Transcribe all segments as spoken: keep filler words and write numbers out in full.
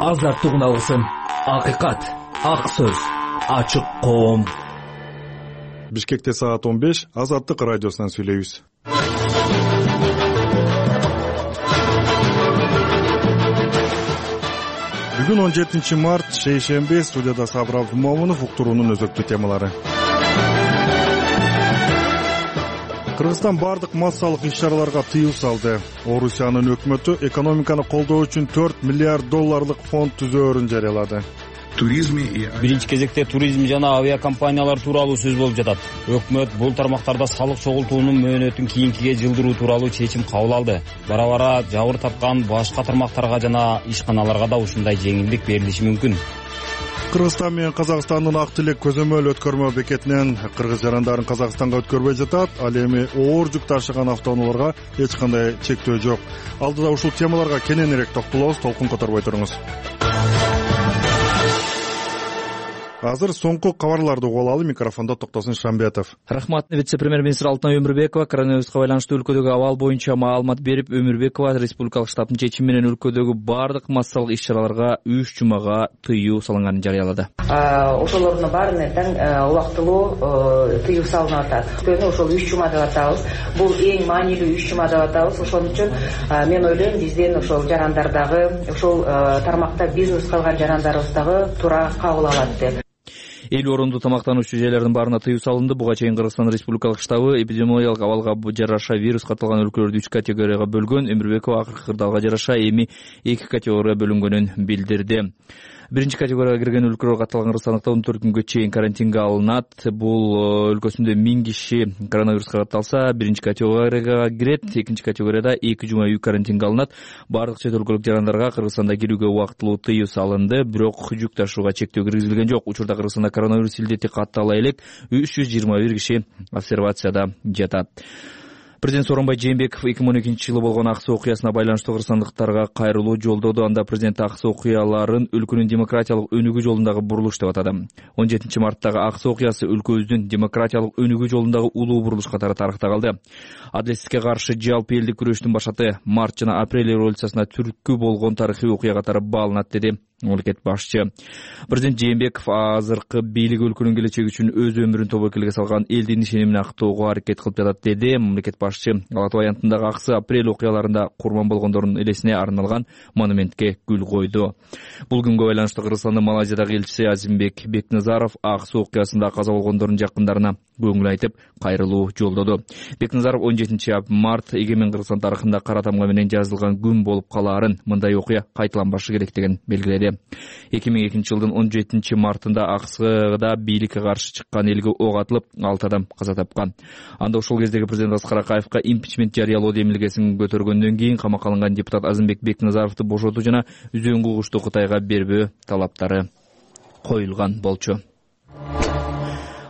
азаттык уналгысын, акыйкат, ак сөз, ачык коом. Бишкекте саат он беш, Азаттык радиосунан сүйлөйбүз. Бүгүн он жетинчи март, шейшемби, студияда Сабыр Абдумомунов, уктуруунун өзөктүү темалары. Кыргызстан бардык массалык иш-чараларга тыюу салды. Орусиянын өкмөтү экономиканы колдоо үчүн төрт миллиард долларлык фонд түзөөрүн жарыялады. Биринчи кезекте туризм жана авиакомпаниялар тууралуу сөз болуп жатат. Өкмөт бул тармактарда салык чогултуунун мөөнөтүн кийинкиге жылдыруу тууралуу чечим кабыл алды. Бара-бара жабыр тапкан башка тармактарга жана ишканаларга да ушундай жеңилдик берилиши мүмкүн. Кыргызстан менен Казакстандын ак тилек көзөмөл өткөрмө бекетинен кыргыз жарандарын Казакстанга өткөрбөй жатат. Ал эми оор жүк ташыган автоунааларга эч кандай чектөө жок. Алдыда ушул темаларга кененирээк токтолобуз, толкун которбой туруңуз. Азыр соңку кабарларды угуп алалы. Микрофондо Токтосун Шамбетов. Рахмат. Вице-премьер-министр Алтынай Өмүрбекова коронавируска байланыштуу өлкөдөгү абал боюнча маалымат берип, Өмүрбекова республикалык штабтын чечими менен өлкөдөгү бардык массалык иш-чараларга үч жумага тыюу салынганын жарыялады. Ошолордун баарына тең убактылуу тыюу салынып атат. Өйткөнү ошол үч жума деп атабыз. Бул эң маанилүү үч жума деп атабыз. Ошон үчүн мен ойлойм, биздин ошол жарандардагы, ошол тармакта бизнес кылган жарандарыбыз дагы туура кабыл алат деп. Элүү орунду тамактануучу жайлардын баарына тыюу салынды. Буга чейин Кыргызстан Республикалык штабы эпидемиологиялык абалга жараша вирус катталган өлкөлөрдү үч категорияга бөлгөн. Өмүрбекова акыркы кырдаалга жараша эми эки категорияга бөлүнгөнүн билдирди. Биринчи категорияга кирген өлкөлөр катталган кыргызстандыктар он төрт күнгө чейин карантинге алынат. Бул өлкөсүндө миң киши коронавируска катталса, биринчи категорияга кирет. Экинчи категорияда эки жума үй карантинге алынат. Бардык чет өлкөлүк жарандарга Кыргызстанда кирүүгө убактылуу тыюу салынды, бирок жүк ташууга чектөө киргизилген жок. Учурда Кыргызстанда коронавирус илдети каттала элек үч жүз жыйырма бир киши обсервацияда жатат. Президент Сооронбай Жээнбеков эки миң он экинчи жылы болгон ак суу окуясына байланыштуу кыргызстандыктарга кайрылуу жолдоду. Анда президент ак суу окуяларын өлкөнүн демократиялык өнүгүү жолундагы бурулуш деп атады. он жетинчи марттагы ак суу окуясы өлкөбүздүн демократиялык өнүгүү жолундагы улуу бурулуш катары тарыхта калды. Адилетсизlikке каршы жалпы элдик күрөштүн башаты март жана апрель революциясына түрткү болгон тарыхый окуя катары бааланат, деди мамлекет башчы. Президент Жээнбеков азыркы бийлик өлкөнүн келечеги үчүн өз өмүрүн тобокелге салган элдин ишенимин актоого аракет кылып жатат, деди мамлекет башчы. Ала Тоо аянтындагы аксы апрель окуяларында курман болгондордун элесине арналган монументке гүл койду. Бул күнгө байланыштуу Кыргызстандын Малайзиядагы элчиси Азимбек Бекназаров ак суу окуясында каза болгондордун жакындарына көңүл айтып, кайрылуу жолдоду. Бекназаров он жетинчи март эгемен Кыргызстан тарыхында кара тамга менен жазылган күн болуп калаарын, мындай окуя кайталанбашы керектигин белгиледи. эки миң экинчи жылдын он жетинчи мартында Аксыда бийликке каршы чыккан элге ок атылып, алты адам каза тапкан. Анда ошол кездеги президент Аскар Акаевка импичмент жарыялоо демилгесин көтөргөндөн кийин камакка алынган депутат Азимбек Бекназаровду бошотуу жана үзөңгү угушту Кытайга бербөө талаптары коюлган болчу.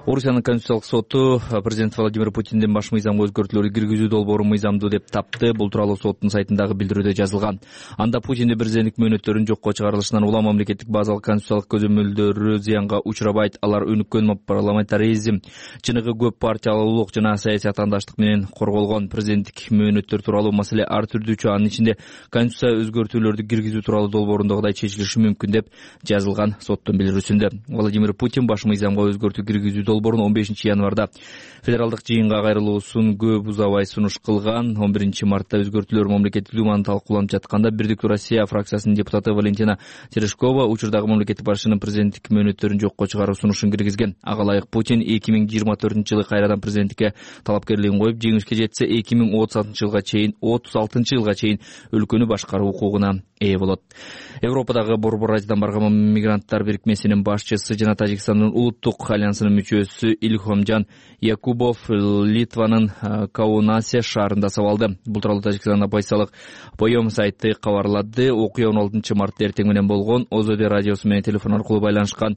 Орусиянын Конституциялык соту президент Владимир Путиндин баш мыйзамга өзгөртүүлөрдү киргизүү долбоорун мыйзамдуу деп тапты. Бул тууралуу соттун сайтындагы билдирүүдө жазылган. Анда Путиндин президенттик мөөнөттөрүнүн жокко чыгарылышынан улам мамлекеттик базалык конституциялык көзөмөлдөрү зыянга учурабайт. Алар өнүккөн парламентаризм, чыныгы көп партиялуулук жана саясий атаандаштык менен корголгон. Президенттик мөөнөттөр тууралуу маселе ар түрдүүчө, анын ичинде конституция өзгөртүүлөрдү киргизүү тууралуу долбоорундагыдай чечилиши мүмкүн деп жазылган соттун билдирүүсүндө. Владимир Путин баш мыйзамга өзгөртүү киргизүү долбоорун он бешинчи январда федералдык жыйынга кайрылуусун көп узабай сунуш кылган. он биринчи мартта өзгөртүүлөр мамлекеттик думаны талкууланып жатканда Бирдиктүү Россия фракциясынын депутаты Валентина Терешкова учурдагы мамлекеттик башчынын президенттик мөөнөттөрүн жокко чыгаруу сунушун киргизген. Ага ылайык Путин эки миң жыйырма төртүнчү жылы кайрадан президенттикке талапкерлигин коюп, жеңишке жетсе эки миң отуз алтынчы жылга чейин отуз алтынчы жылга чейин өлкөнү башкаруу укугуна ээ болот. Европадагы Борбор Азиядан барган мигранттар бирикмесинин башчысы жана Тажикстандын улуттук альянсынын мүчөсү Илхомжан Якубов Литванын Каунасе шаарында сабалды. Бул тууралуу Тажикстандын оппозициялык Поем сайты кабарлады. Окуя он алтынчы мартта эртең менен болгон. ОЗД радиосу менен телефон аркылуу байланышкан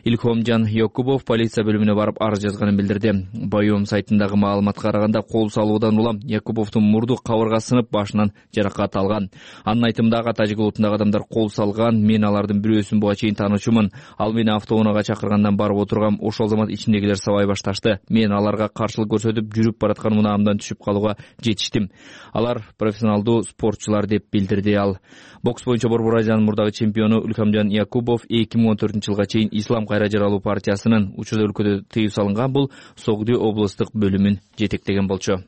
Илхомжан Якубов полиция бөлүмүнө барып арыз жазганын билдирди. Байом сайтындагы маалыматка караганда кол салуудан улам Якубовдун мурду кабырга сынып, башынан жаракат алган. Анын айтымында ага тажик улутундагы адамдар кол салган. Мен алардын бирөөсүн буга чейин таанычумун. Ал мени автоунаага чакыргандан барып отургам. Ошол замат ичиндегилер сабай башташты. Мен аларга каршылык көрсөтүп, жүрүп бараткан унаамдан түшүп калууга жетиштим. Алар профессионалдуу спортчулар деп билдирди ал. Бокс боюнча Борбор Азиянын мурдагы чемпиону Илхомжан Якубов эки миң он төртүнчү жылга чейин Ислам кайра жаралуу партиясынын учурда өлкөдө тыюу салынган бул Согду облустук бөлүмүн жетектеген болчу.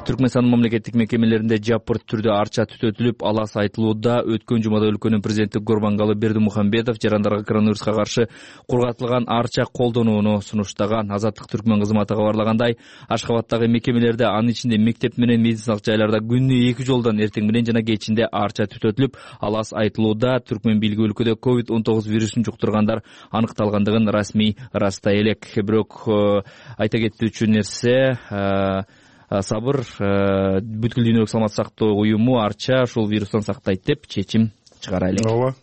Түркмөнстандын мамлекеттик мекемелеринде жапырт түрдө арча түтөтүлүп, алас айтылууда. Өткөн жумада өлкөнүн президенти Гурбангалы Бердимухамбетов жарандарга коронавируска каршы кургатылган арча колдонууну сунуштаган. Азаттык Түркмөн кызматы кабарлагандай, Ашхабадтагы мекемелерде, анын ичинде мектеп менен медициналык жайларда күнүнө эки жолдон эртең менен жана кечинде арча түтөтүлүп, алас айтылууда. Түркмөн бийлиги өлкөдө ковид он тогуз вирусун жуктургандар аныкталгандыгын расмий ырастай элек. Бирок айта кетүүчү нерсе, сабыр, бүткүл дүйнөлүк саламаттык сактоо уюму арча ушул вирустан сактайт деп чечим чыгара элек. Ооба.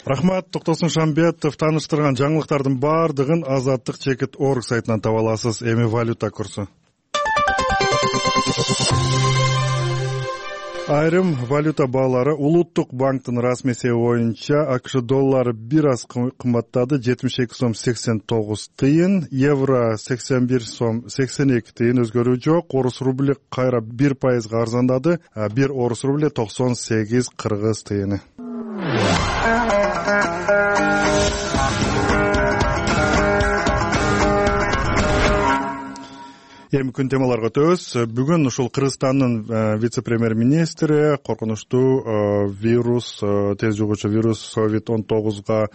Рахмат, Токтосун Шамбетов. Тааныштырган жаңылыктардын бардыгын Азаттык чекит точка орг сайтынан таба аласыз. Эми валюта курсу. Айрым валюта баалары улуттук банктын расмий эсеби боюнча АКШ доллары бир аз кымбаттады, жетимиш эки сом сексен тогуз тыйын, евро сексен бир сом сексен эки тыйын, өзгөрүү жок. Орус рубли кайра бир пайызга арзандады, бир орус рубли токсон сегиз кыргыз тыйыны. Эми күн темаларга өтөбүз. Бүгүн ушул Кыргызстандын вице-премьер-министри коркунучтуу вирус, тез жугуучу вирус ковид он тогузга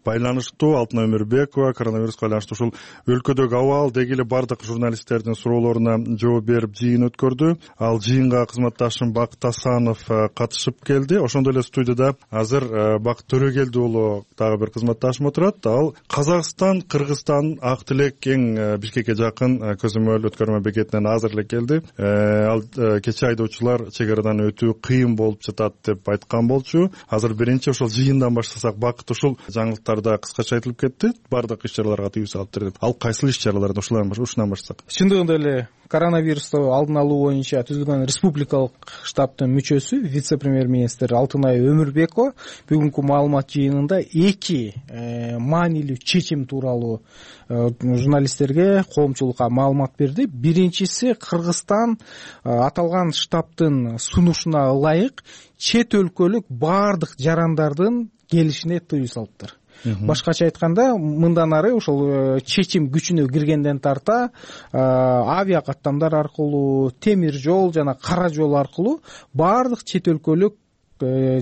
байланыштуу Алтынай Өмүрбекова коронавируска байланыштуу ушул өлкөдөгү абал деги эле бардык журналисттердин суроолоруна жооп берип жыйын өткөрдү. Ал жыйынга кызматташым Бакыт Асанов катышып келди. Ошондой эле студияда азыр Бакыт Төрөгелди уулу дагы бир кызматташым отурат. Ал Казакстан, Кыргызстан, Ак Тилек эң Бишкекке жакын көзөмөл өткөрмө бекетинен азыр эле келди. Ал кечээ айдоочулар чек арадан өтүү кыйын болуп жатат деп айткан болчу. Азыр биринчи ошол жыйындан баштасак, Бакыт ушул жаңылыктар да кыскача айтылып кетти. Бардык иш-чараларга тыюу салыптыр деп. Ал кайсыл иш-чаралардан ушунан баштасак? Чындыгында эле коронавирусту алдын алуу боюнча түзүлгөн республикалык штабтын мүчөсү вице-премьер-министр Алтынай Өмүрбекова бүгүнкү маалымат жыйынында эки маанилүү чечим тууралуу журналисттерге, коомчулукка маалымат берди. Биринчиси, Кыргызстан аталган штабтын сунушуна ылайык чет өлкөлүк бардык жарандардын келишине тыюу салыптыр. Башкача айтканда, мындан ары ошол чечим күчүнө киргенден тарта авиа каттамдар аркылуу, темир жол жана кара жол аркылуу бардык чет өлкөлүк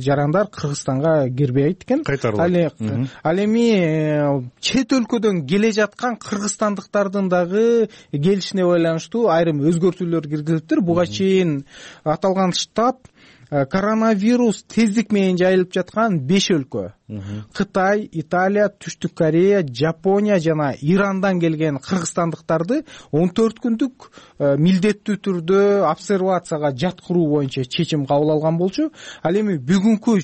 жарандар Кыргызстанга кирбейт экен. Ал эми чет өлкөдөн келе жаткан кыргызстандыктардын дагы келишине байланыштуу айрым өзгөртүүлөр киргизилиптир. Буга чейин аталган штаб коронавирус тездик менен жайылып жаткан беш өлкө Кытай, Италия, Түштүк Корея, Жапония жана Ирандан келген кыргызстандыктарды он төрт күндүк милдеттүү түрдө обсервацияга жаткыруу боюнча чечим кабыл алган болчу. Ал эми бүгүнкү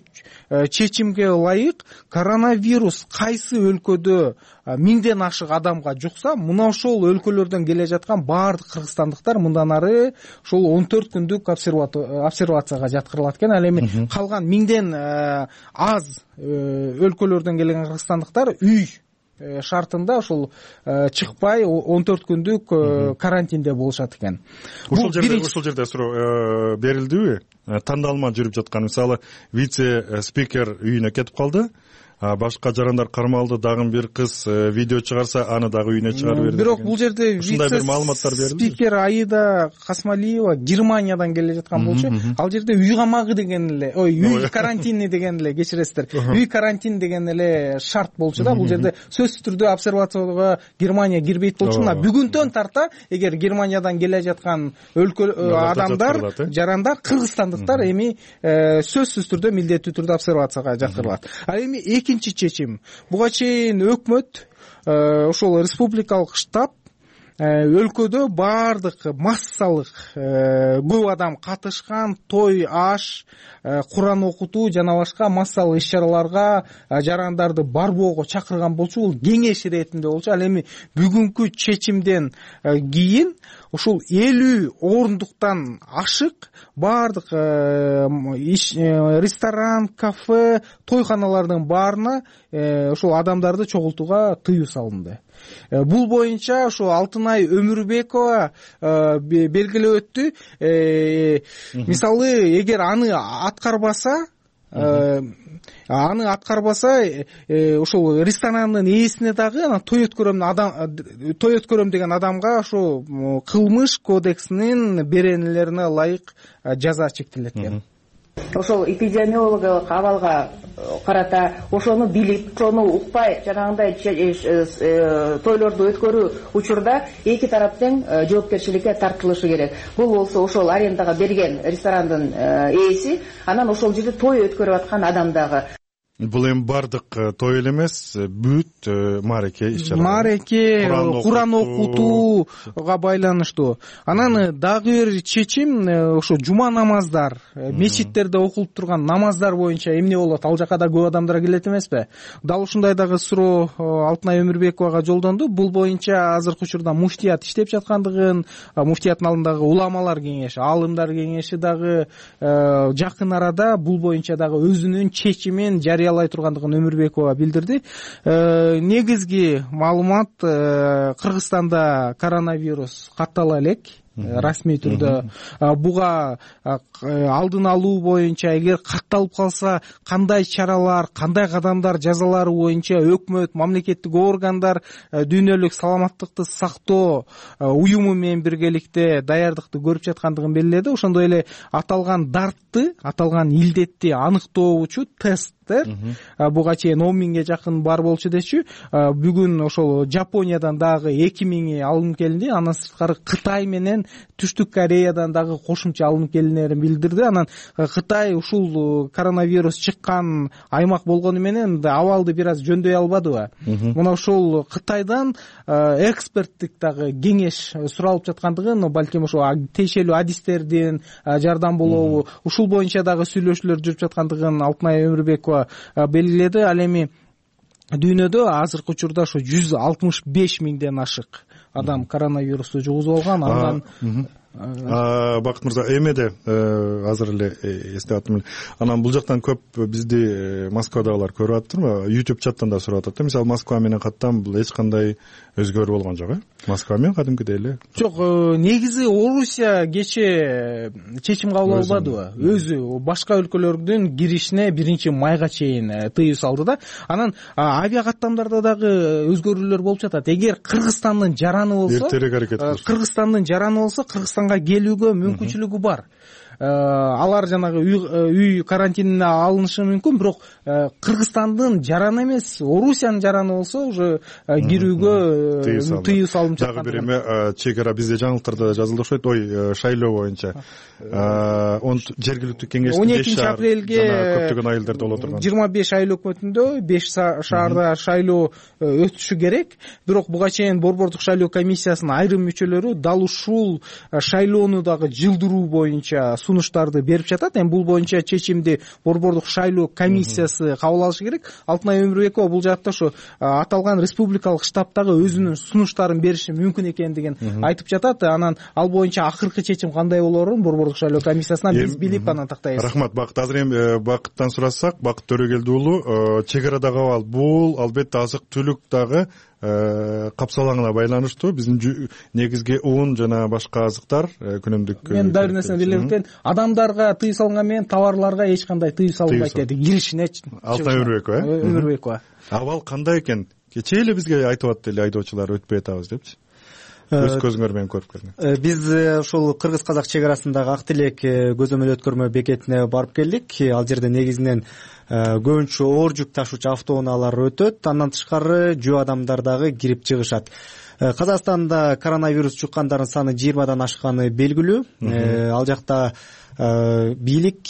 чечимге ылайык коронавирус кайсы өлкөдө миңден ашык адамга жукса, мына ошол өлкөлөрдөн келе жаткан баардык кыргызстандыктар мындан ары ошол он төрт күндүк обсервацияга жаткырылат экен. Ал эми калган миңден аз өлкөлөрдөн келген кыргызстандыктар үй шартында ошол чыкпай он төрт күндүк карантинде болушат экен. Ушул жерде ушул жерде суроо берилдиби? Тандалма жүрүп жаткан, мисалы, вице-спикер үйүнө кетип калды. Башка жарандар кармалды, дагы бир кыз видео чыгарса, аны дагы үйүнө чыгарып берди. Бирок бул жерде вице-спикер Аида Касмалиева Германиядан келе жаткан болчу. Ал жерде үй камагы деген эле, ой, үй карантини деген эле, кечиресиздер. Үй карантин деген эле шарт болчу да. Бул жерде сөзсүз түрдө обсервацияга Германия кирбейт болчу. Мына бүгүндөн тарта, эгер Германиядан келе жаткан өлкө адамдар, жарандар, кыргызстандыктар эми сөзсүз түрдө милдеттүү түрдө обсервацияга жаткырылат. Ал эми экинчи чечим. Буга чейин өкмөт ошол республикалык штаб өлкөдө баардык массалык көп адам катышкан той, аш, Куран окутуу жана башка массалык иш-чараларга жарандарды барбоого чакырган болчу. Бул кеңеш иретинде болчу. Ал эми бүгүнкү чечимден кийин ушул элүү орундуктан ашык баардык ресторан, кафе, тойханалардын баарына ушул адамдарды чогултууга тыюу салынды. Бул боюнча ошо Алтынай Өмүрбекова белгилеп өттү. Мисалы, эгер аны аткарбаса, аны аткарбаса, ошол ресторанын ээсине дагы анан той өткөрөм адам той өткөрөм деген адамга ошо кылмыш кодексинин беренелерине ылайык жаза чектелет экен. Ошол эпидемиологиялык абалга карата ошону билип, ошону укпай жанагындай тойлорду өткөрүү учурда эки тараптын жоопкерчиликке тартылышы керек. Бул болсо ошол арендага берген ресторандын ээси, анан ошол жерде той өткөрүп аткан адам дагы. Бул эми бардык той эле эмес, бүт маареке иш-чара. Маареке, Куран окутууга байланыштуу. Анан дагы бир чечим ошо жума намаздар, мечиттерде окулуп турган намаздар боюнча эмне болот? Ал жака да көп адамдар келет эмеспи? Дал ушундай дагы суроо Алтынай Өмүрбековага жолдонду. Бул боюнча азыркы учурда муфтият иштеп жаткандыгын, муфтияттын алдындагы уламалар кеңеши, аалымдар кеңеши дагы жакын арада бул боюнча дагы өзүнүн чечимин жарыя алай тургандыгын Өмүрбекова билдирди. Негизги маалымат, Кыргызстанда коронавирус каттала элек. Расмий түрдө буга алдын алуу боюнча эгер катталып калса кандай чаралар, кандай кадамдар жазалары боюнча өкмөт, мамлекеттик органдар дүйнөлүк саламаттыкты сактоо уюму менен биргеликте даярдыкты көрүп жаткандыгын белгиледи. Ошондой эле аталган дартты, аталган илдетти аныктоочу тесттер буга чейин он миңге жакын бар болчу дечү. Бүгүн ошол Жапониядан дагы эки миңи алынып келинди. Андан сырткары Кытай менен Түштүк Кореядан дагы кошумча алынып келинерин билдирди. Анан Кытай ушул коронавирус чыккан аймак болгону менен абалды бир аз жөндөй албадыбы? Мына ушул Кытайдан эксперттик дагы кеңеш суралып жаткандыгын, балким ошо тиешелүү адистердин жардам болобу, ушул боюнча дагы сүйлөшүүлөр жүрүп жаткандыгын Алтынай Өмүрбекова белгиледи. Ал эми дүйнөдө азыркы учурда ошо жүз алтымыш беш миңден ашык адам коронавирусту жугузуп алган. Андан Бакыт мырза, эмеде азыр эле эстеп аттым. Анан бул жактан көп бизди Москвадагылар көрүп атыптырбы? YouTube чаттан да сурап атат. Мисалы, Москва менен каттан бул эч кандай өзгөрүү болгон жок, э? Москва менен кадимкидей эле. Жок, негизи Орусия кече чечим кабыл албадыбы? Өзү башка өлкөлөрдүн киришине биринчи майга чейин тыюу салды да. Анан авиа каттамдарда дагы өзгөрүүлөр болуп жатат. Эгер Кыргызстандын жараны болсо, Кыргызстандын жараны болсо, Кыргызстанга келүүгө мүмкүнчүлүгү бар. Алар жанагы үй карантинине алынышы мүмкүн, бирок Кыргызстандын жараны эмес, Орусиянын жараны болсо уже кирүүгө тыюу салынып жаткан. Дагы бир эме, чегара бизде жаңылыктарда жазылды окшойт. Ой, шайлоо боюнча он жергиликтүү кеңештин он экинчи апрелге көптөгөн айылдарда боло турган жыйырма беш айыл өкмөтүндө беш шаарда шайлоо өтүшү керек. Бирок буга чейин Борбордук шайлоо комиссиясынын айрым мүчөлөрү дал ушул шайлоону дагы жылдыруу боюнча сунуштарды берип жатат. Эми бул боюнча чечимди Борбордук шайлоо комиссиясы кабыл алышы керек. Алтынай Өмүрбекова бул жакта ошо аталган республикалык штабтагы өзүнүн сунуштарын бериши мүмкүн экендигин айтып жатат. Анан ал боюнча акыркы чечим кандай болорун Борбордук шайлоо комиссиясынан биз билип анан тактайбыз. Рахмат, Бакыт. Азыр эми Бакыттан сурасак, Бакыт Төрөгелди уулу, чегарадагы абал бул албетте азык-түлүк дагы капсалаңына байланыштуу. Биздин негизги ун жана башка азыктар күнүмдүк. Мен дагы бир нерсени билдирем экен. Адамдарга тыюу салынган менен товарларга эч кандай тыюу салынбайт деди. Киришине Алтынай Өмүрбекова, э? Өмүрбекова. Абал кандай экен? Кечээ эле бизге айтып атты эле айдоочулар өтпөй атабыз депчи. Өз көзүңөр менен көрүп келдиң. Биз ушул кыргыз-казак чек арасындагы Ак Тилек көзөмөл өткөрмө бекетине барып келдик. Ал жерде негизинен көбүнчө оор жүк ташуучу автоунаалар өтөт. Андан тышкары жөө адамдар дагы кирип чыгышат. Казакстанда коронавирус жуккандардын саны жыйырмадан ашканы белгилүү. Ал жакта бийлик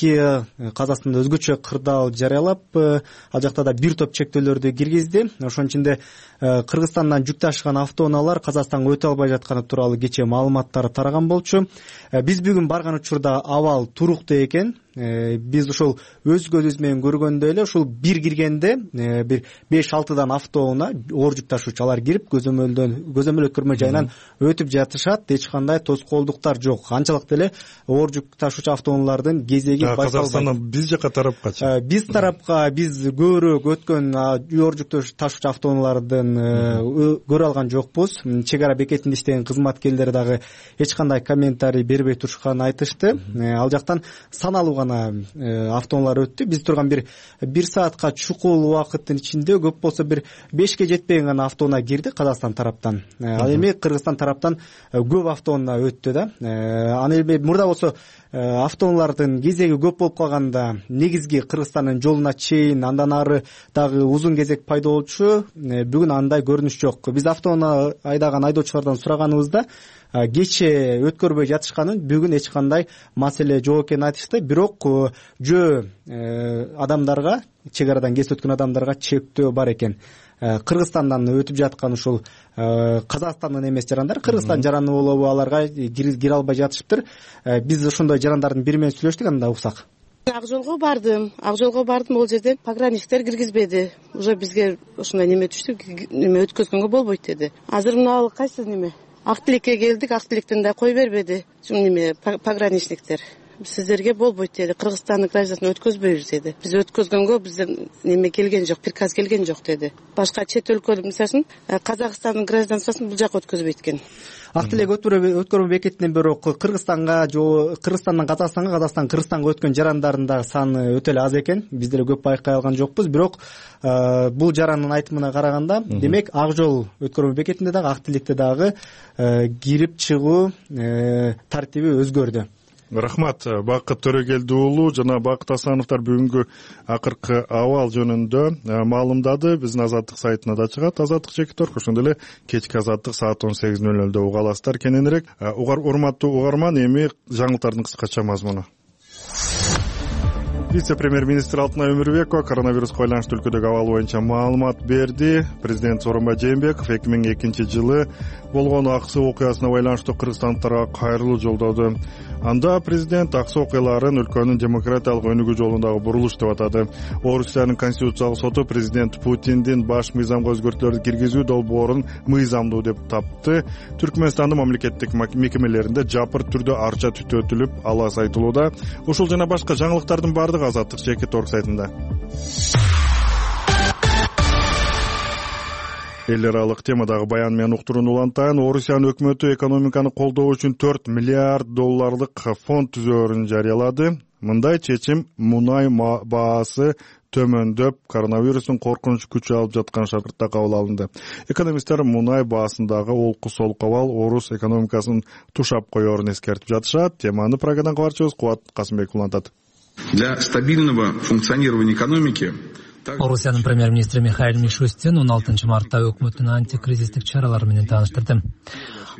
Казакстанда өзгөчө кырдаал жарыялап, ал жакта да бир топ чектөөлөрдү киргизди. Ошонун ичинде Кыргызстандан жүк ташыган автоунаалар Казакстанга өтө албай жатканы тууралуу кечээ маалыматтар тараган болчу. Биз бүгүн барган учурда абал туруктуу экен. Биз ошол өз көзүбүз менен көргөндөй эле ушул бир киргенде бир беш алтыдан автоунаа оор жүк ташуучу алар кирип көзөмөлдөн көзөмөл өткөрмө жайынан өтүп жатышат. Эч кандай тоскоолдуктар жок. Анчалык деле оор жүк ташуучу автоунаалардын кезеги байкалбайт. Казакстандан биз жака тарапкачы. Биз тарапка биз көбүрөөк өткөн оор жүк ташуучу автоунаалардын көрө алган жокпуз. Чек ара бекетинде иштеген кызматкерлер дагы эч кандай комментарий бербей турушканын айтышты. Ал жактан саналуу автоунаалар өттү. Биз турган бир бир саатка чукул убакыттын ичинде көп болсо бир бешке жетпеген гана автоунаа кирди Казакстан тараптан. Ал эми Кыргызстан тараптан көп автоунаа өттү да. Аны эми мурда болсо автоунаалардын кезеги көп болуп калганда негизги Кыргызстандын жолуна чейин андан ары дагы узун кезек пайда болчу. Бүгүн андай көрүнүш жок. Биз автоунаа айдаган айдоочулардан сураганыбызда кечээ өткөрбөй жатышканын, бүгүн эч кандай маселе жок экенин айтышты. Бирок жөө адамдарга, чек арадан кесип өткөн адамдарга чектөө бар экен. Кыргызстандан өтүп жаткан ушул Казакстандын эмес жарандар, Кыргызстан жараны болобу, аларга кире албай жатышыптыр. Биз ошондой жарандардын бири менен сүйлөштүк, анда уксак. Ак жолго бардым. Ак жолго бардым, ал жерде пограничниктер киргизбеди. Уже бизге ошондой неме түштү, неме өткөзгөнгө болбойт деди. Азыр мына кайсы неме Ак тилекке келдик, Ак тилектен да кой бербеди. Неме пограничниктер. Сиздерге болбойт деди. Кыргызстандын гражданын өткөзбөйбүз деди. Биз өткөзгөнгө бизден неме келген жок, приказ келген жок деди. Башка чет өлкө, мисалы, Казакстандын гражданствосын бул жака өткөзбөйт экен. Ак тилек өткөрмө бекетинен бирок Кыргызстанга, Кыргызстандан Казакстанга, Казакстан Кыргызстанга өткөн жарандардын дагы саны өтө эле аз экен. Биз деле көп байкай алган жокпуз. Бирок бул жарандын айтымына караганда, демек ак жол өткөрмө бекетинде дагы, ак тилекте дагы кирип чыгуу тартиби өзгөрдү. Рахмат, Бакыт Төрөгелди уулу жана Бакыт Асановдор бүгүнкү акыркы абал жөнүндө маалымдады. Биздин Азаттык сайтына да чыгат. Азаттык чекитор, ошондой эле кечки Азаттык саат он сегиз ноль нолдо уга аласыздар. Кененирээк урматтуу угарман, эми жаңылыктардын кыскача мазмуну. Вице-премьер-министр Алтынай Өмүрбекова коронавируска байланыштуу өлкөдөгү абал боюнча маалымат берди. Президент Сооронбай Жээнбеков эки миң экинчи жылы болгон ак суу окуясына байланыштуу кыргызстандыктарга кайрылуу жолдоду. Анда президент ак суу окуяларын өлкөнүн демократиялык өнүгүү жолундагы бурулуш деп атады. Орусиянын конституциялык соту президент Путиндин баш мыйзамга өзгөртүүлөрдү киргизүү долбоорун мыйзамдуу деп тапты. Түркмөнстандын мамлекеттик мекемелеринде жапыр түрдө арча түтөтүлүп алас айтылууда. Ушул жана башка жаңылыктардын баардыгы Азаттык чекит орг сайтында. Эл аралык темадагы баян менен уктурууну улантайын. Орусиянын өкмөтү экономиканы колдоо үчүн төрт миллиард долларлык фонд түзөөрүн жарыялады. Мындай чечим мунай баасы төмөндөп, коронавирустун коркунуч күчү алып жаткан шартта кабыл алынды. Экономисттер мунай баасындагы олку солку абал орус экономикасын тушап коерун эскертип жатышат. Теманы Прагадан кабарчыбыз Кубат Касымбеков улантат. Для стабильного функционирования экономики Орусиянын премьер-министри Михаил Мишустин он алтынчы мартта өкмөттүн антикризистик чаралары менен тааныштырды.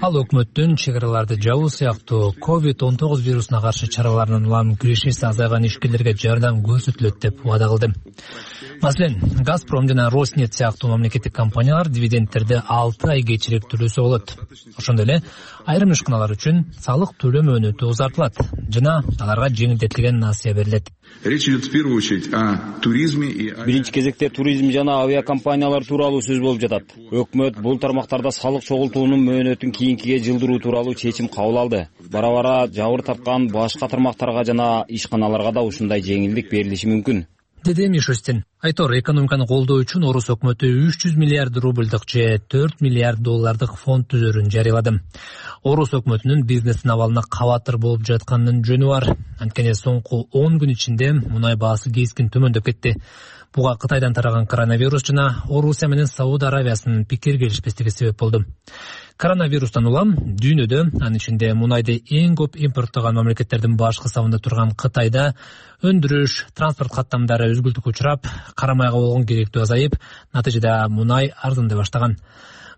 Ал өкмөттүн чек араларды жабуу сыяктуу ковид он тогуз вирусуна каршы чараларынын улам кирешеси азайган ишкерлерге жардам көрсөтүлөт деп убада кылды. Маселен, Газпром жана Роснефть сыяктуу мамлекеттик компаниялар дивидендтерди алты ай кечирээк төлөсө болот. Ошондой эле айрым ишканалар үчүн салык төлөм өнөтү узартылат жана аларга жеңилдетилген насыя берилет. Речь идет в первую очередь о туризме и Биринчи кезекте туризм жана авиакомпаниялар тууралуу сөз болуп жатат. Өкмөт бул тармактарда салык чогултуунун мөөнөтүн кийинкиге жылдыруу тууралуу чечим кабыл алды. Бара-бара жабыр тапкан башка тармактарга жана ишканаларга да ушундай жеңилдик берилиши мүмкүн, деди Мишустин. Айтор, экономиканы колдоо үчүн орус өкмөтү үч жүз миллиард рубльдык же төрт миллиард доллардык фонд түзөрүн жарыялады. Орус өкмөтүнүн бизнестин абалына кабатыр болуп жатканынын жөнү бар. Анткени соңку он күн ичинде мунай баасы кескин төмөндөп кетти. Буга Кытайдан тараган коронавирус жана Орусия менен Сауд Аравиясынын пикир келишпестиги себеп болду. Коронавирустан улам дүйнөдө, анын ичинде мунайды эң көп импорттогон мамлекеттердин баш кысабында турган Кытайда өндүрүш, транспорт каттамдары үзгүлтүккө учурап, карамайга болгон керектүү азайып, натыйжада мунай арзандай баштаган.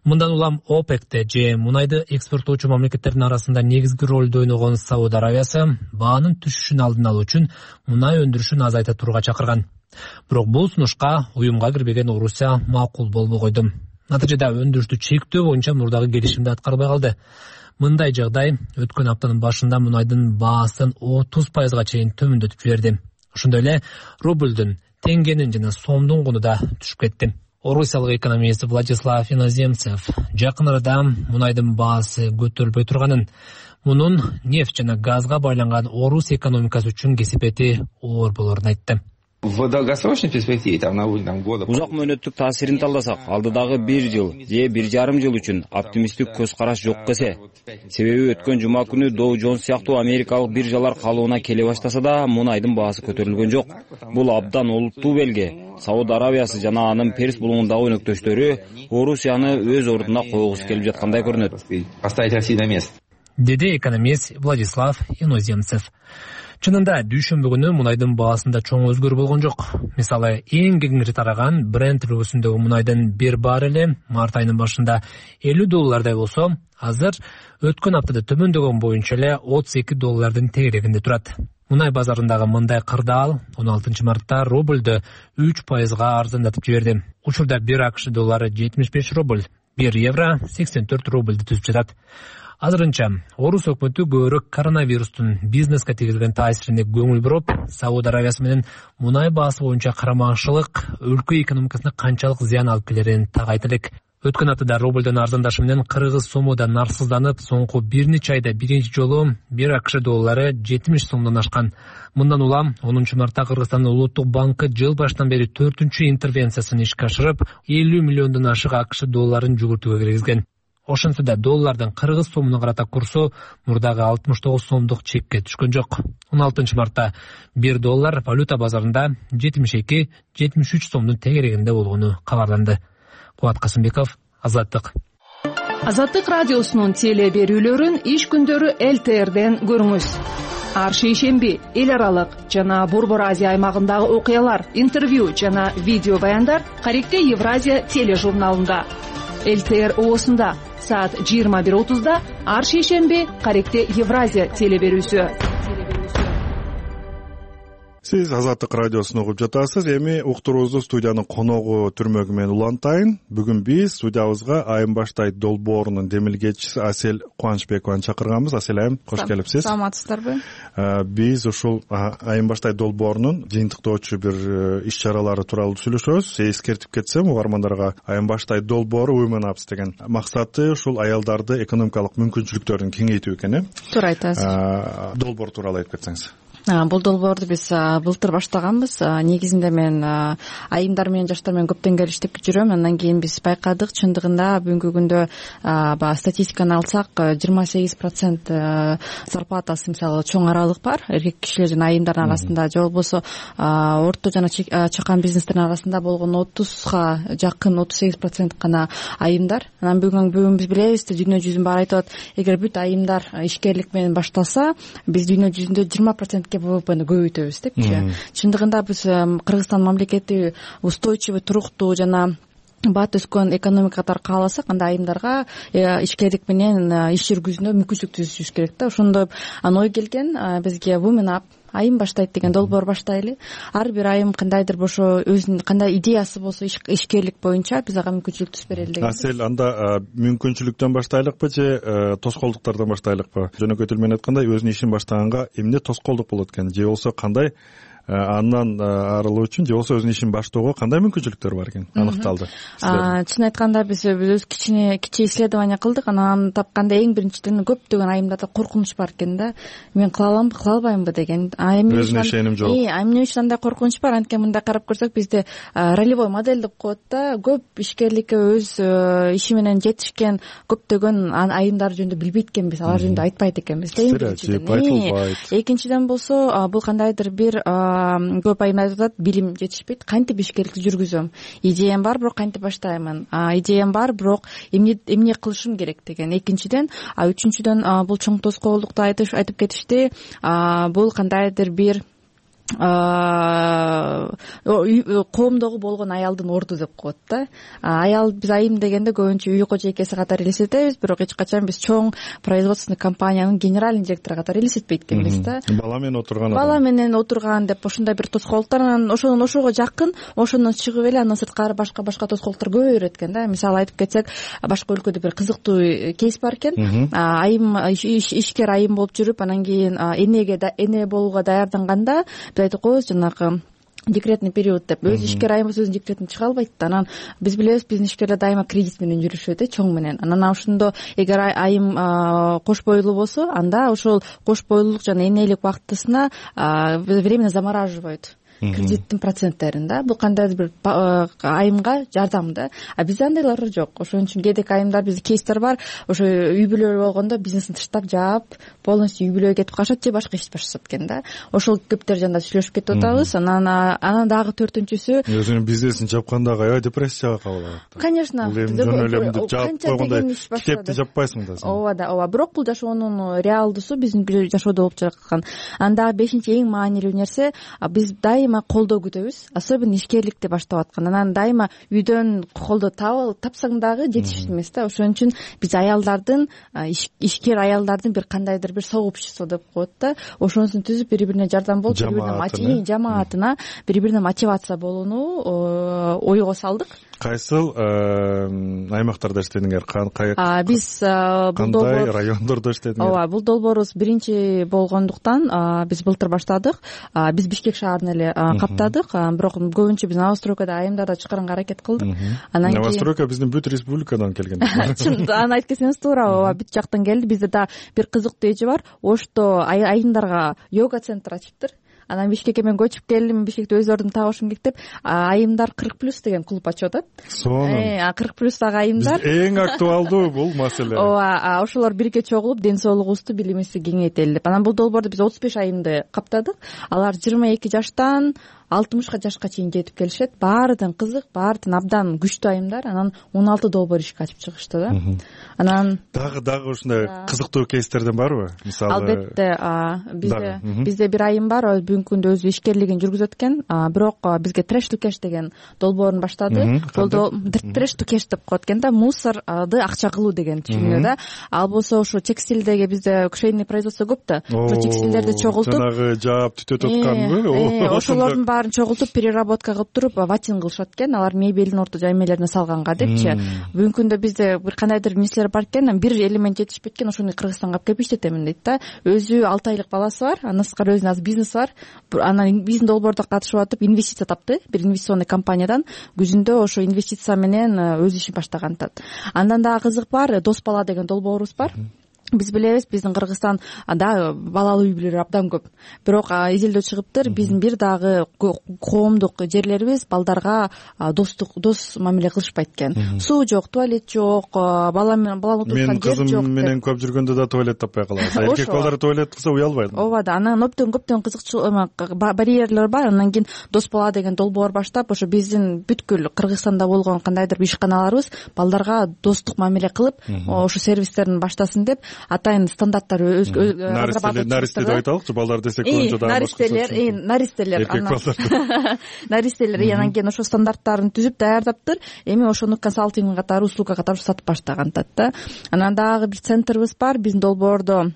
Мындан улам ОПЕКте же мунайды экспорттоочу мамлекеттердин арасында негизги ролду ойногон Сауд Аравиясы баанын түшүшүн алдын алуу үчүн мунай өндүрүшүн азайта турууга чакырган. Бирок бул сунушка уюмга кирбеген Орусия макул болбой койду. Натыйжада өндүрүштү чектөө боюнча мурдагы келишимди аткарбай калды. Мындай жагдай өткөн аптанын башында мунайдын баасын отуз пайызга чейин төмөндөтүп жиберди. Ошондой эле рублдун, теңгенин жана сомдун куну да түшүп кетти. Орусиялык экономист Владислав Иноземцев жакын арада мунайдын баасы көтөрүлбөй турганын, мунун нефть жана газга байланган Орус экономикасы үчүн кесепети оор болорун айтты. Узак мөөнөттүк таасирин талдасак, алдыдагы бир жыл же бир жарым жыл үчүн оптимисттик көз караш жок эсе. Себеби өткөн жума күнү Dow Jones сыяктуу америкалык биржалар калыбына келе баштаса да, мунайдын баасы көтөрүлгөн жок. Бул абдан олуттуу белги. Сауд Аравиясы жана анын Перс булуңундагы өнөктөштөрү Орусияны өз ордуна койгусу келип жаткандай көрүнөт. Деди экономист Владислав Иноземцев. Чынында дүйшөмбү күнү мунайдын баасында чоң өзгөрүү болгон жок. Мисалы, эң кеңири тараган Brent үлгүсүндөгү мунайдын бир баррели март айынын башында элүү доллардай болсо, азыр өткөн аптада төмөндөгөн боюнча эле отуз эки доллардын тегерегинде турат. Мунай базарындагы мындай кырдаал он алтынчы мартта рубльдү үч пайызга арзандатып жиберди. Учурда бир АКШ доллары жетимиш беш рубль, бир евро сексен төрт рубльди түзүп жатат. Азырынча Орус өкмөтү көбүрөөк коронавирустун бизнеске тийгизген таасирине көңүл буруп, Сауд Аравиясы менен мунай баасы боюнча карамакчылык өлкө экономикасына канчалык зыян алып келерин так айта элек. Өткөн аптада рубльдун арзандашы менен кыргыз сому да нарсызданып, соңку бир нече айда биринчи жолу бир АКШ доллары жетимиш сомдон ашкан. Мындан улам онунчу мартта Кыргызстандын Улуттук банкы жыл башынан бери төртүнчү интервенциясын ишке ашырып, элүү миллиондон ашык АКШ долларын жүгүртүүгө киргизген. Ошентсе да доллардын кыргыз сомуна карата курсу мурдагы алтымыш тогуз сомдук чекке түшкөн жок. он алтынчы мартта бир доллар валюта базарында жетимиш эки — жетимиш үч сомдун тегерегинде болгону кабарланды. Кубат Касымбеков, Азаттык. Азаттык радиосунун теле берүүлөрүн иш күндөрү эл тэ эрден көрүңүз. Ар шейшемби эл аралык жана Борбор Азия аймагындагы окуялар, интервью жана видео баяндар Каректе Евразия тележурналында. эл тэ эр оосунда саат жыйырма бир отузда ар шейшемби Каректе Евразия теле берүүсү. Сиз Азаттык радиосун угуп жатасыз. Эми уктуруубузду студиянын коногу түрмөгү менен улантайын. Бүгүн биз студиябызга Айым Баштай долбоорунун демилгечиси Асель Кубанычбекованы чакырганбыз. Асель айым, кош келипсиз. Саламатсыздарбы? Биз ушул Айым Баштай долбоорунун жыйынтыктоочу бир иш-чаралары тууралуу сүйлөшөбүз. Эскертип кетсем, угармандарга Айым Баштай долбоору Women Ups деген максаты ушул аялдарды экономикалык мүмкүнчүлүктөрүн кеңейтүү экен, э? Туура айтасыз. Долбоор тууралуу айтып кетсеңиз. Бул долбоорду биз былтыр баштаганбыз. Негизинде мен айымдар менен жаштар менен көптөн келиштип жүрөм. Андан кийин биз байкадык, чындыгында бүгүнкү күндө баягы статистиканы алсак, жыйырма сегиз процент зарплатасы мисалы чоң аралык бар. Эркек кишилер жана айымдардын арасында, же болбосо орто жана чакан бизнестердин арасында болгон отузга жакын отуз сегиз процент гана айымдар. Анан бүгүн бүгүн биз билебиз, дүйнө жүзүнүн баары айтып атат, эгер бүт айымдар ишкерлик менен баштаса, биз дүйнө жүзүндө жыйырма процент вэ вэ пэни көбөйтөбүз депчи. Чындыгында биз Кыргызстан мамлекети устойчивый, туруктуу жана бат өскөн экономика катары кааласак, анда айымдарга ишкерлик менен иш жүргүзүүнө мүмкүнчүлүк түзүшүбүз керек да. Ошондо ой келген бизге Women Up айым баштайт деген долбоор баштайлы. Ар бир айым кандайдыр бошо өзүнүн кандай идеясы болсо ишкерлик боюнча биз ага мүмкүнчүлүк түзүп берели деген. Асель, анда мүмкүнчүлүктөн баштайлыкпы же тоскоолдуктардан баштайлыкпы? Жөнөкөй тил менен айтканда, өзүнүн ишин баштаганга эмне тоскоолдук болот экен, же болбосо кандай андан арылуу үчүн, же болбосо өзүнүн ишин баштоого кандай мүмкүнчүлүктөр бар экен аныкталды? Чын айтканда биз өз кичине кичи исследование кылдык. Анан тапканда эң биринчиден көптөгөн айымдарда коркунуч бар экен да. Мен кыла аламбы, кыла албаймбы деген. Өзүнө ишеним жок. Э, эмне үчүн андай коркунуч бар? Анткени мындай карап көрсөк, бизде ролевой модель деп коет да. Көп ишкерликке өз иши менен жетишкен көптөгөн айымдар жөнүндө билбейт экенбиз, алар жөнүндө айтпайт экенбиз. Экинчиден болсо, бул кандайдыр бир көп айымдар айтып атат, билим жетишпейт, кантип ишкерликти жүргүзөм, идеям бар, бирок кантип баштаймын, идеям бар, бирок эмне эмне кылышым керек деген. Экинчиден, үчүнчүдөн бул чоң тоскоолдукту айтып кетишти. Бул кандайдыр бир коомдогу болгон аялдын орду деп коет да. Аял, биз айым дегенде көбүнчө үй кожойкеси катары элестетебиз, бирок эч качан биз чоң производственный компаниянын генеральный директору катары элестетпейт экенбиз да. Бала менен отурган бала менен отурган деп ошондой бир тоскоолдуктар, анан ошонун ошого жакын, ошондон чыгып эле андан сырткары башка башка тоскоолдуктар көбөйө берет экен да. Мисалы айтып кетсек, башка өлкөдө бир кызыктуу кейс бар экен. Айым ишкер айым болуп жүрүп, анан кийин энеге эне болууга даярданганда биз айтып коебуз жанагы декретный период деп. Өзү ишкер айым болсо өзүнүн декретине чыга албайт да. Анан биз билебиз, биздин ишкерлер дайыма кредит менен жүрүшөт, э, чоң менен. Анан ошондо эгер айым кош бойлуу болсо, анда ошол кош бойлуулук жана энелик убактысына временно замораживают кредиттин проценттерин да. Бул кандайдыр бир айымга жардам да. А бизде андайлар жок. Ошон үчүн кээдеки айымдар, бизде кейстер бар, ошо үй бүлө болгондо бизнесин таштап жаап, полностью үй бүлөгө кетип калышат же башка иш башташат экен да. Ошол кептер жана сүйлөшүп кетип атабыз. Анан анан дагы төртүнчүсү, өзүнүн бизнесин жапканда аябай депрессияга кабылат. Конечно, деп жаап койгондой кепти жаппайсың да сен. Ооба да, ооба. Бирок бул жашоонун реалдуусу биздин жашоодо болуп жаткан. Анда бешинчи эң маанилүү нерсе, биз дайыма колдоо күтөбүз, особенно ишкерликти баштап аткан. Анан дайыма үйдөн колдоо тапсаң дагы жетиштүү эмес да. Ошон үчүн биз аялдардын, ишкер аялдардын бир кандайдыр бир сообщество деп коет да, ошонусун түзүп, бири-бирине жардам болуп, бири-бирине жамаатына бири-бирине мотивация болууну ойго салдык. Кайсыл аймактарда иштедиңер? Биз кандай райондордо иштедиңер? Ооба, бул долбоорубуз биринчи болгондуктан биз былтыр баштадык. Биз Бишкек шаарын эле каптадык, бирок көбүнчө биз Новостройкада айымдарда чыгарганга аракет кылдык. Анан Новостройка биздин бүт республикадан келген. Чын, аны айтып кетсеңиз туура, ооба, бүт жактан келди. Бизде да бир кызыктуу эже бар, Ошто айымдарга йога центр ачыптыр. Анан Бишкекке мен көчүп келдим, Бишкекте өз ордумду табышым керек деп, айымдар кырк плюс деген клуб ачып атат. Сонун. кырк плюстагы айымдар. Эң актуалдуу бул маселе. Ооба, ошолор бирге чогулуп, ден соолугубузду, билимибизди кеңейтели деп. Анан бул долбоордо биз отуз беш айымды каптадык. Алар жыйырма эки жаштан алтымышка жашка чейин жетип келишет. Баарыдан кызык, баарыдан абдан күчтүү айымдар. Анан он алты долбоор ишке ачып чыгышты да. Анан дагы дагы ушундай кызыктуу кейстерден барбы? Мисалы, албетте, бизде бизде бир айым бар, бүгүнкү күндө өзү ишкерлигин жүргүзөт экен, бирок бизге Trash to Cash деген долбоорун баштады. Бул Trash to Cash деп коет экен да, мусорду акча кылуу деген түшүнүктө да. Ал болсо ошо текстилдеги бизде швейный производство көп да. Ошо текстилдерди чогултуп, жанагы жаап түтөт атканбы? Ошолордун баарын чогултуп, переработка кылып туруп, ватинг кылышат экен. Алар мебелдин орто жаймелерине салганга депчи. Бүгүнкү күндө бизде бир кандайдыр нерселер бар экен, бир элемент жетишпейт экен, ошону Кыргызстанга алып келип иштетемин дейт да. Өзү алты айлык баласы бар, андан сырткары өзүнүн азыр бизнеси бар. Анан биздин долбоордо катышып атып, инвестиция тапты бир инвестиционный компаниядан. Күзүндө ошо инвестиция менен өз ишин баштаган атат. Андан дагы кызык бар, Дос бала деген долбоорубуз бар. Биз билебиз, биздин Кыргызстан да балалуу үй бүлөлөр абдан көп. Бирок изилдөө чыгыптыр, биздин бир дагы коомдук жерлерибиз балдарга достук, дос мамиле кылышпайт экен. Суу жок, туалет жок, бала менен баланы отурган жер жок. Мен кызым менен көп жүргөндө да туалет таппай калабыз. Эркек балдар туалет кылса уялбайт. Ооба да, анан көптөн көптөн кызыкчылык барьерлер бар. Андан кийин Дос бала деген долбоор баштап, ошо биздин бүткүл Кыргызстанда болгон кандайдыр бир ишканаларыбыз балдарга достук мамиле кылып, ошо сервистерин баштасын деп атайын стандарттар өз наристе деп айталычы, балдар десек көбүнчө да наристелер, наристелер, наристелер, анан кийин ошо стандарттарын түзүп даярдаптыр. Эми ошону консалтинг катары, услуга катары сатып баштаган атат да. Анан дагы бир центрибиз бар, биздин долбоордо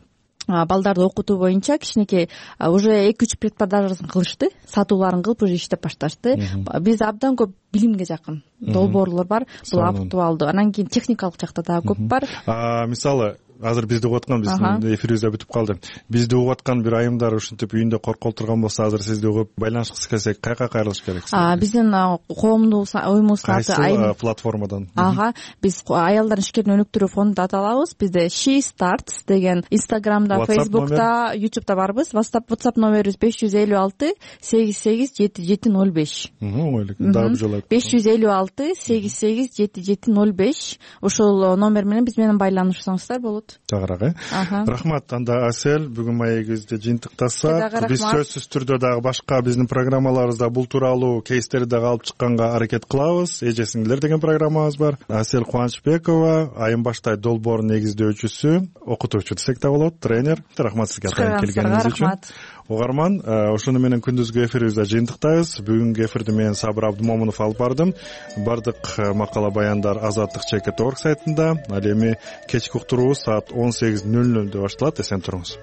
балдарды окутуу боюнча кичинекей уже эки үч предпродажасын кылышты, сатууларын кылып уже иштеп башташты. Бизде абдан көп билимге жакын долбоорлор бар, бул актуалдуу. Анан кийин техникалык жакта дагы көп бар. Мисалы, азыр бизди угуп аткан, биздин эфирибиз да бүтүп калды. Бизди угуп аткан бир айымдар ушинтип үйүндө коркуп турган болсо, азыр сизди угуп байланышкысы келсе, кайка кайрылыш керек? Биздин коомдук уюмубуздун аты кайсы платформадан? Ага, биз аялдардын ишкерлигин өнүктүрүү фонду деп аталабыз. Бизде She Starts деген Instagramда, Facebook'ta, YouTube'да барбыз. WhatsApp номерибиз беш жүз элүү алты сегиз сегиз жети жети ноль беш. Оңойлук. Дагы бир жолу айтып. беш жүз элүү алты сегиз сегиз жети жети ноль беш. Ошол номер менен биз менен байланышсаңыздар болот. болот. Жагыраак э рахмат. Анда Асель бүгүн маегибизди жыйынтыктасак, биз сөзсүз түрдө дагы башка биздин программаларыбызда бул тууралуу кейстерди дагы алып чыкканга аракет кылабыз. Эже сиңдилер деген программабыз бар. Асель Кубанычбекова, Айым Баштай долбоорун негиздөөчүсү, окутуучу десек да болот, тренер. Рахмат сизге атайын келгениңиз үчүн. Угарман, ушуну менен күндүзгү эфирибизде жыйынтыктайбыз. Бүгүнкү эфирди мен Сабыр Абдымомунов алып бардым. Бардык макала баяндар азаттык чекит орг сайтында. Ал эми кечки уктуруубуз саат он сегиз нөл нөлдө башталат. Эсен туруңуз.